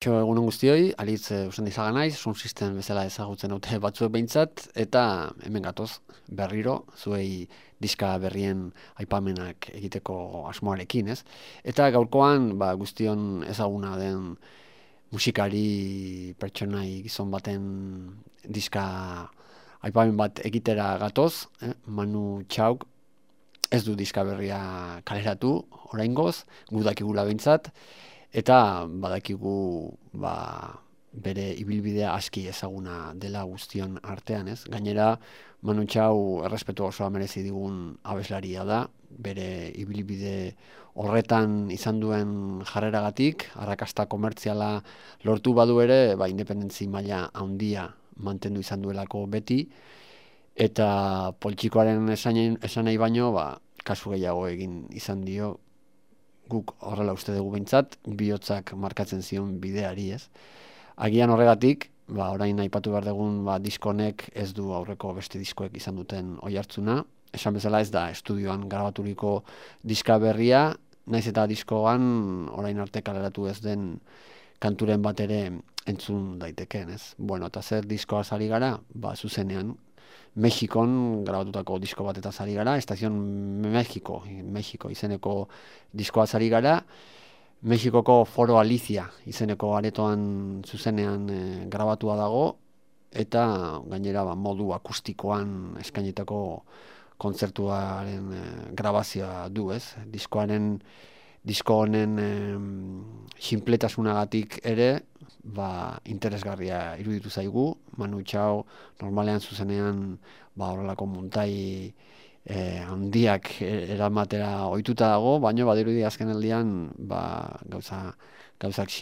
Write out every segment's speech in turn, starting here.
Egunon guztioi, alitz usan dizaga naiz, Sound System bezala ezagutzen dute batzuek behintzat, eta hemen gatoz berriro, zuei diska berrien aipamenak egiteko asmoarekin, ez? Eta gaurkoan guztion ezaguna den musikari pertsonai gizon baten diska aipamen bat egitera gatoz, Manu Chaok ez du diska berria kaleratu, oraingoz, gu dakigula behintzat, eta badakigu bere ibilbidea aski ezaguna dela guztion artean, ez? Gainera, Manu Chao errespetu osoa merezi digun abeslaria da, bere ibilbide horretan izan duen jarreragatik, arrakasta komertziala lortu badu ere, independentzi maila handia mantendu izan duelako beti, eta poltsikoaren esanei baino, kasu gehiago egin izan dio, guk horrela uste dugu behintzat, bihotzak markatzen zion bideari, ez? Agian horregatik, orain aipatu behar dugun diskonek ez du aurreko beste diskoek izan duten oihartzuna. Esan bezala ez da estudioan grabaturiko diska berria, naiz eta diskoan orain arte kaleratu ez den kanturen bat ere entzun daitekeen, ez? Bueno, eta zer diskoa ari gara? Zuzenean, Mexikon grabatutako disko bat eta zari gara, Estazion Mexiko izeneko diskoa zari gara, Mexikoko Foro Alicia izeneko aretoan zuzenean grabatua dago, eta gainera modu akustikoan eskainitako kontzertuaren grabazioa du, ez? Disko honen sinpletasunagatik ere, interesgarria iruditu zaigu. Manu Chao normalean zuzenean horrelako muntai handiak eramatera ohituta dago, baina badirudi azkenaldian gauzak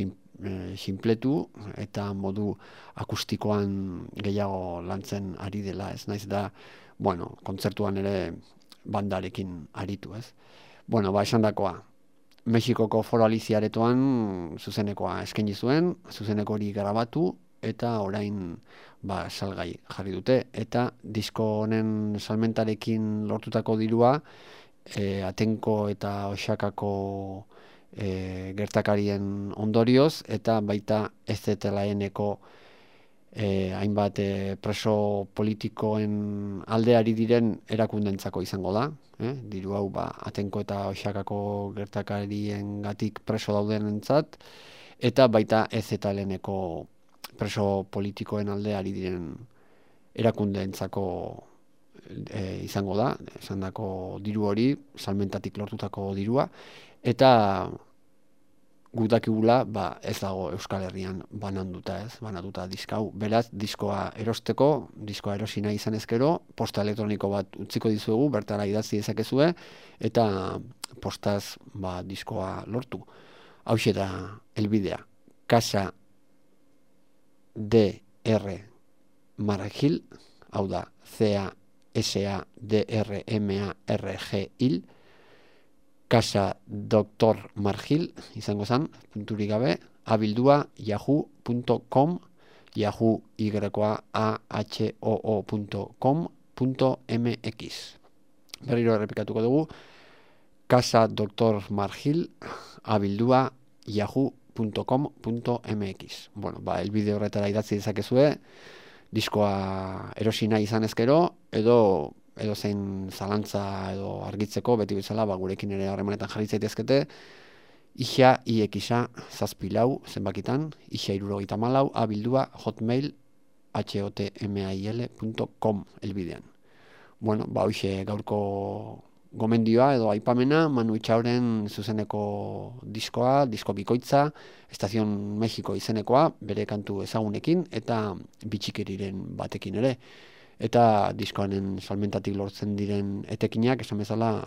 sinpletu eta modu akustikoan gehiago lantzen ari dela, ez? Naiz da, kontzertuan ere bandarekin aritu, ez? Esandakoa, Mexikoko Foro Alicia aretoan zuzenekoa eskaini zuen, zuzeneko hori grabatu, eta orain salgai jarri dute. Eta disko honen salmentarekin lortutako dirua, Atenko eta Oaxakako gertakarien ondorioz, eta baita SZLN-eko hainbat preso politikoen aldeari diren erakundentzako izango da. Diru hau Atenko eta Oaxakako gertakarien gatik preso daudenentzat, eta baita EZLN-eko preso politikoen aldeari diren erakundeentzako izango da, esandako diru hori, salmentatik lortutako dirua, eta gutakigula ez dago Euskal Herrian banatuta diskau. Beraz, diskoa erosteko, diskoa erosi nahi izan ezkero, posta elektroniko bat utziko dizuegu, bertara idatzi dezakezue, eta postaz diskoa lortu. Hauxe da helbidea. Casa DR Margil, hau da CASADRMARGIL, Casa Dr. Margil, izango zen, punturik gabe, abildua yahoo.com, yahoo yahoo.com.mx. Berriro errepikatuko dugu, Casa Dr. Margil, abildua yahoo.com.mx. Elbide horretara idatzi dezakezue, diskoa erosi nahi izan ezkero, edo zein zalantza edo argitzeko, beti bezala, gurekin ere harremanetan jarri zaitezkete, IXA, IXA, 7 zenbakitan, IXA 74, abildua, hotmail, hotmail.com elbidean. Hoxe gaurko gomendioa edo aipamena, Manu Chaoren zuzeneko diskoa, disko bikoitza, Estazion Mexiko izenekoa, bere kantu ezagunekin, eta bitxikeriren batekin ere. Eta diskoanen salmentatik lortzen diren etekinak, esan bezala,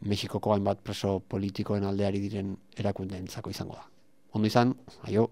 Mexikoko hainbat preso politikoen aldeari diren erakundeentzako izango da. Ondo izan, aio!